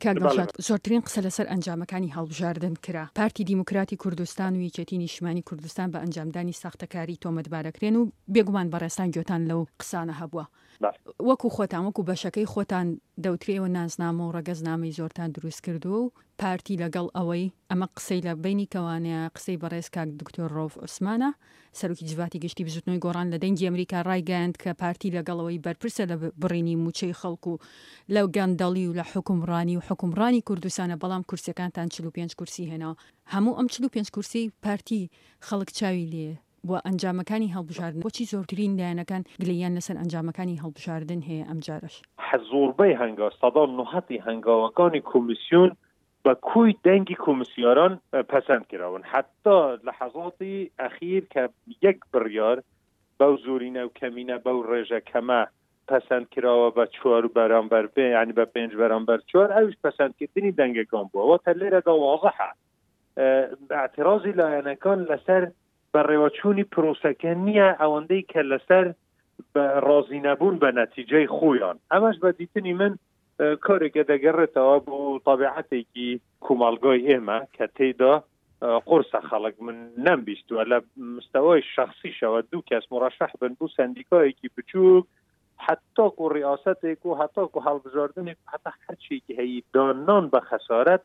کاک دڵشاد زۆرترین قسە لەسەر ئەنجامەکانی هەڵبژاردن کرا. پارتی دیموکراتی کوردستان و یەکێتی نیشتمانی کوردستان بە ئەنجامدانی ساختەکاری تۆمەتبارەکرێن و بێگومان بەڕێزتان گوێتان لەو قسانە هەبووە. وەکو خۆتان وەکو بەشەکەی خۆتان دەوترێ ئێوە نازنامە و ڕەگەزنامەی زۆرتان دروست کردووە و پارتی لەگەڵ ئەوەی ئەمە قسەی لە بەینی کەوانەیە قسەی بەڕێز کاک دکتۆر ڕەوف عوسمانە سەرۆکی جڤاتی گشتی بزوتنەوەی گۆڕان لە دەنگی ئەمریکا ڕایگەیاند کە پارتی لەگەڵ ئەوەی بەرپرسە لە بڕینی موچەی خەڵک و لە گەندەڵی و لە حوکمڕانی و حوکمڕانی کوردستانە بەڵام کورسیەکانتان 45 کورسی هێناوە هەموو ئەم 45 کورسیەی پارتی خەڵک چاوی لێ بوە ئەنجامەکانی هەڵبژاردن بۆچی زۆرترین لایەنەکان گلەییان لەسەر ئەنجامەکانی هەڵبژاردن هەیە ئەمجارەش؟ زۆربەی هەنگاو سەدا نهەتی هەنگاوەکانی کۆمیسیۆن بە کۆی دەنگی کۆمیسیاران پەسەند کراون حەتا لەحەزاتی ئەخیر کە یەک بڕیار بەو زۆرینە و کەمینە بەو ڕێژە کەمە پەسەند کراوە بە چوار بەرامبەر پێ یعنی بە پێنج بەرامبەر چوار ئەویش پەسەندکردنی دەنگەکان بووە واتە لێرەدا وازحە اعتراضی لایەنەکان لەسەر بەڕێوەچوونی پرۆسەکە نییە ئەوەندەی کە لەسەر ڕازی نەبوون بە نەتیجەی خۆیان ئەمەش بە دیتنی من کارێکە دەگەڕێتەوە بۆ تابعەتێکی کومەڵگای ئێمە کە تێیدا قورسە خەڵک من نەمبیستووە لە مستەوای شخصیشەوە دوو کەس مڕەشەح بن بوو سندیکایەکی بچووک حتاکو ڕیاستێک و هەتاکو هەڵبژاردنێک هەتا هەرچێکی هەیە دانان بە خەسارەت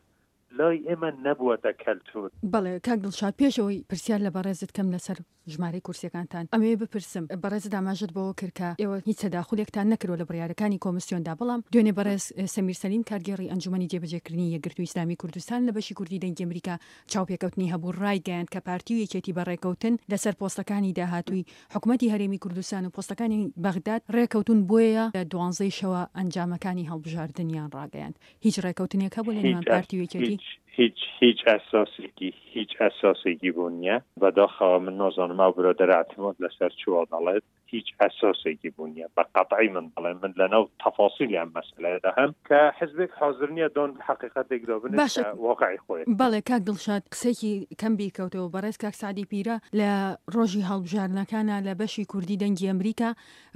لای ئێمە نەبووەتە کەلتور. بەڵێ کاک دڵشاد پێش ئەوەی پرسیار لە بەڕێزت کەم لەسەر ژمارەی کورسیەکانتان ئەمەوێ بپرسم بەڕێزت ئاماژەت بەوە کرد کە ئێوە هیچ تەداخولێکتان نەکردوە لە بڕیارەکانی کۆمسیۆندا بەڵام دوێنێ بەڕێز سەمیر سەلیم کارگێڕی ئەنجومەنی جێبەجێکردنی یەکگرتووی ئیسلامی کوردستان لە بەشی کوردی دەنگی ئەمریکا چاوپێکەوتنی هەبوو ڕایگەیاند کە پارتی و یەکێتی بە ڕێکەوتن لەسەر پۆستەکانی داهاتووی حکومەتی هەرێمی کوردستان و پۆستەکانی بەغداد ڕێکەوتوون بۆیە لە دوانزەی شەوە ئەنجامەکانی هەڵبژاردنیان ڕاگەیاند. هیچ ڕێکەوتنێک هەبوو لە نێوان پارتی و یەکێتی؟ هیچ هیچ هیچ ئەساسێکی هیچ ئەساسێکی بۆ نییە بەداخەوە من نازانم ئەو برادەرە اعتماد لەسەر چ وا دەڵێت هیچ ئەساسێکی بۆ نییە بە قەتعی من دەڵێم من لەناو تەفاسیلی ئەم مەسەلەیەدا هەم کە حزبێک حازر نییە دان بە حەقیقەتێکدا بنێت باشە کە واقعی خۆیەتی. بەڵێ کاک دڵشاد قسەیەکی کەم بیرکەوتەوە بەڕێز کاک سەعدی پیرە لە ڕۆژی هەڵبژاردنەکانا لە بەشی کوردی دەنگی ئەمریکا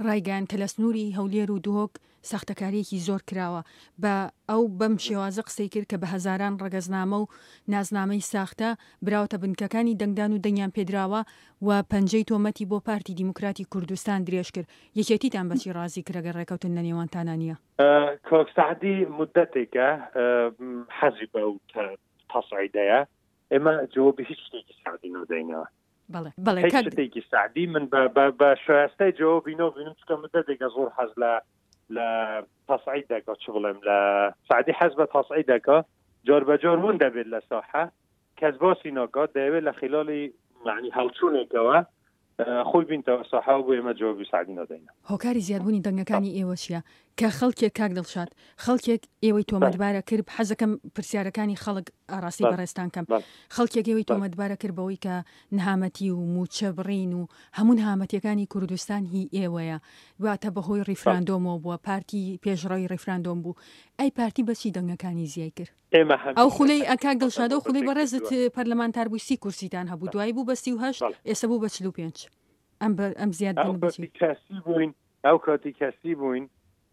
ڕایگەیاند کە لە سنووری هەولێر و دهۆک ساختەکارییەکی زۆر کراوە بە ئەو بەم شێوازە قسەی کرد کە بە هەزاران ڕەگەزنامە و نازنامەی ساختە براوەتە بنکەکانی دەنگدان و دەنگیان پێدراوە و پەنجەی تۆمەتی بۆ پارتی دیموکراتی کوردستان درێژ کرد. یەکێتیتان بە چی ڕازی کرد ئەگەر ڕێکەوتن لە نێوانتانا نییە؟ کاک سەعدی مودەتێکە حەزی بەو تەسعیدەیە، ئێمە جوابی هیچ شتێکی سەعدی نادەینەوە. بەڵێ بەڵێ هیچ شتێکی سەعدی من بە بە بە شایستەی جوابی نابینم چونکە مدەتێکە زۆر حەز لە لە تەسعید دەکا چ بڵێم لە سەعدی حەز بە تەسعید دەکا جۆر بە جۆر ون دەبێت لە ساحە کەس باسی ناکات دەیەوێت لە خلالی معنی هەڵچوونێکەوە خۆی بینتەوە ساحە و بۆ ئێمە جوابی سەعدی نادەینەوە. هۆکاری زیادبوونی دەنگەکانی ئێوە چییە؟ کە خەڵکێک کاک دڵشاد خەڵکێک ئێوەی تۆمەتبارە کرد حەزەکەم پرسیارەکانی خەڵک ئاڕاستەی بەڕێزتان کەم خەڵکێک ئێوەی تۆمەتبارە کرد بەوەی کە نەهامەتی و مووچە بڕین و هەموو نەهامەتیەکانی کوردستان هی ئێوەیە واتە بەهۆی ڕیفراندۆمەوە بووە پارتی پێشڕەوی ڕیفراندۆم بوو ئەی پارتی بەچی دەنگەکانی زیای کرد؟ ئێمە ئەو خولەی کاک دڵشاد ئەو خولەی بەڕێزت پەرلەمانتار بووی 30 کورسیتان هەبوو دوایی بوو بە 38 ئێستا بوو بە 45 ئەم ئەم زیادبوونە بەچی؟ کەسی بووین ئەو کاتی کەسی بووین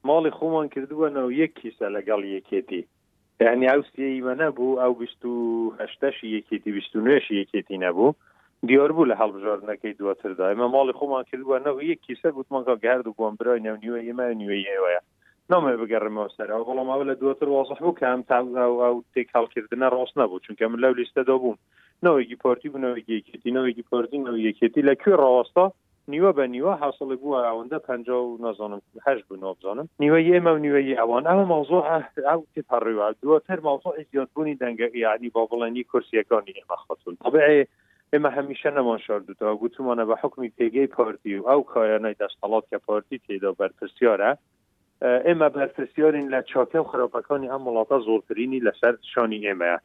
ماڵی خۆمان کردووە ناو یەک کیسە لەگەڵ یەکێتی یعنی ئەو سیەی مە نەبوو ئەو 28شی یەکێتی 29شی یەکێتی نەبوو دیار بوو لە هەڵبژاردنەکەی دواتردا ئێمە ماڵی خۆمان کردووە ناو یەک کیسە گوتمان کاکە هەردووکمان برای ناو نیوە ئێمە نیوەی ئێوەیە نامەوێت بگەڕێمەوە سەرەوە بەڵام ئەوە لە دواتر وازح بوو کە ئەم ئەو تێکهەڵکردنە ڕاست نەبوو چونکە من لەو لیستەدا بووم ناوێکی پارتی بوو ناوێکی یەکێتی ناوێکی پارتی ناوی یەکێتی لە کوێ ڕاوەستا نیوە بە نیوە حاصڵی بووە ئەوەندە پ و نازانم هەش بوو نابزانم نیوە ئێمە و نیوەی ئەوان ئەمە مەوزوع ئەو تێپەڕیوە دواتر مەوزوعی زیادبوونی دەنگە یعنی با بڵێنی کورسیەکانی ئێمە خاتون طبیعی ئێمە هەمیشە نەمان شاردوتەوە گوتومانە بە حکمی پێگەی پارتی و ئەو کایانەی دەستەڵات کە پارتی تێدا بەرپرسیارە ئێمە بەرپرسیارین لە چاکە و خراپەکانی ئەم وڵاتە زۆرترینی لەسەر شانی ئێمەیە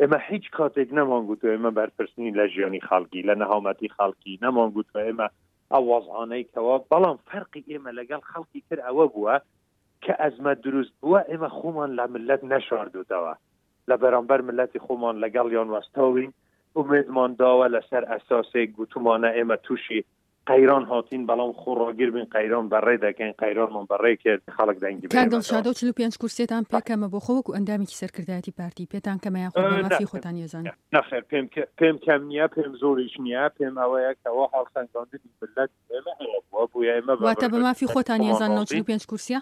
ئێمە هیچ کاتێک نەمان گوتو ئێمە بەرپرسنین لە ژیانی خەڵکی لە نەهامەتی خەڵکی نەمان گوتوە ئێمە ئەو وەزعانەی کەوا بەڵام فەرقی ئێمە لەگەڵ خەڵکی تر ئەوە بووە کە ئەزمە دروست بووە ئێمە خۆمان لە ملت نەشاردوتەوە لە بەرامبەر ملەتی خۆمان لەگەڵیان وەستاوین ئومێدمان داوە لەسەر ئەساسێک گوتومانە ئێمە تووشی قەیران هاتین بەڵام خۆڕاگر بین قەیران بەڕێ دەکەین قەیرانمان بەڕێ کرد خەڵک دەنگی کاک دڵشاد ئەو 45 کورسیەتان پێ کەمە بۆ خۆ وەکو ئەندامێکی سەرکردایەتی پارتی پێتان کەمە یاخود بە مافی خۆتان یەزانن؟ نەخێر پێم پێم کەم نییە پێم زۆریش نییە پێم ئەوەیە کەوا هەڵسەنگاندنی مللەت ئێمە ئەوە بووە بۆیە ئێمە واتە بە مافی خۆتان یەزانن ئەو 45 کورسیە؟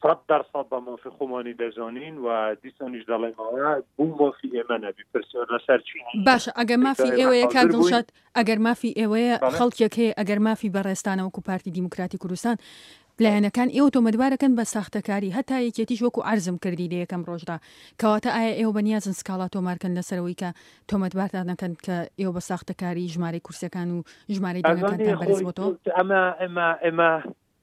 100% بە مافی خۆمانی دەزانین و دیسانیش دەڵێمەوە بۆ مافی ئێمە نەبی پرسیار لەسەر چی باشە ئەگەر مافی ئێوەیە کاک دڵشاد ئەگەر مافی ئێوەیە خەڵکێک هەیە ئەگەر مافی بەڕێزتانە وەکو پارتی دیموکراتی کوردستان لایەنەکان ئێوە تۆمەتبارەکەن بە ساختەکاری هەتا یەکێتیش وەکو عەرزم کردی لە یەکەم ڕۆژدا کەواتە ئایا ئێوە بەنیازن سکاڵا تۆمارکەن لەسەرەوەی کە تۆمەتبارتان دەکەن کە ئێوە بە ساختەکاری ژمارەی کورسیەکان و ژمارەی دەنگەکانتان بەرز بۆتەوە؟ ئەمە ئێمە ئێمە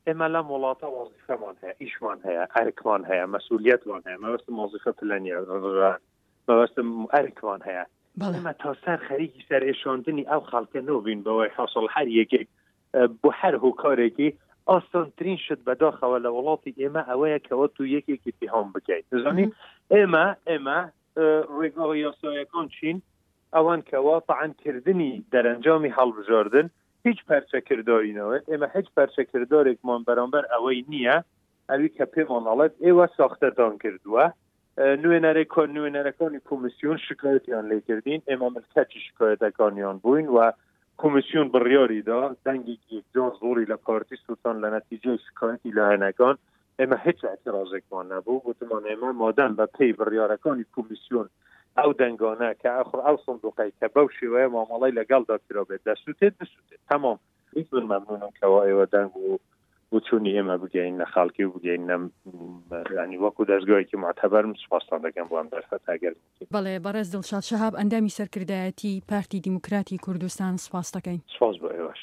ئێمە لەم وڵاتە وەزیفەمان هەیە، ئیشمان هەیە، ئەرکمان هەیە، مەسئولیەتمان هەیە، مەبەستم وەزیفە پلە نییە، مەبەستم ئەرکمان هەیە. ئێمە تا سەر خەریکی سەرئێشاندنی ئەو خەڵکە نۆبین بەوەی حاصل هەر یەکێک بۆ هەر هۆکارێکی ئاسانترین شت بەداخەوە لە وڵاتی ئێمە ئەوەیە کەەوە تو یەکێکی تیهام بکەیت دەزانی ئێمە ئێمە ڕێگا یاسایەکان چین ئەوان کەوا تەعن کردنی دەرەنجامی هەڵبژاردن هیچ پەرچە کرداری ناوێت، ئێمە هیچ پەرچە کردارێکمان بەرامبەر ئەوەی نییە ئەوی کە پێمان ئەڵێت ئێوە ساختەتان کردووە نوێنەرەکان نوێنەرەکانی کۆمیسیۆن شکایەتیان لێکردین ئێمە ملکەچی شکایەتەکانیان بووین و کۆمیسیۆن بڕیاری دا دەنگێکی یەکجار زۆری لە پارتی سووتان لە نەتیجەی شکایەتی لایەنەکان ئێمە هیچ اعتراضێکمان نەبوو گوتمان ئێمە مادەم بە پێی بڕیارەکانی کۆمیسیۆن ئەو دەنگانە کە ئەخر ئەو سندوقەی کە بەو شێوەیە مامەڵەی لەگەڵدا کرابێت دەسووتێت بسووتێت تەمام هیچ من مەمنونم کەوا ئێوە دەنگ و بچوونی ئێمە بگەین لە خەڵکی و بگەین نەم ینی وەکو دەستگایەکی معتەبەرم سپاستان دەکەم بۆ ئەم دەرفەتە ئەگەر بەڵێ بەڕێز دڵشاد شەهاب ئەندامی سەرکردایەتی پارتی دیموکراتی کوردستان سپاست دەکەین. سپاس بۆ ئێوەش.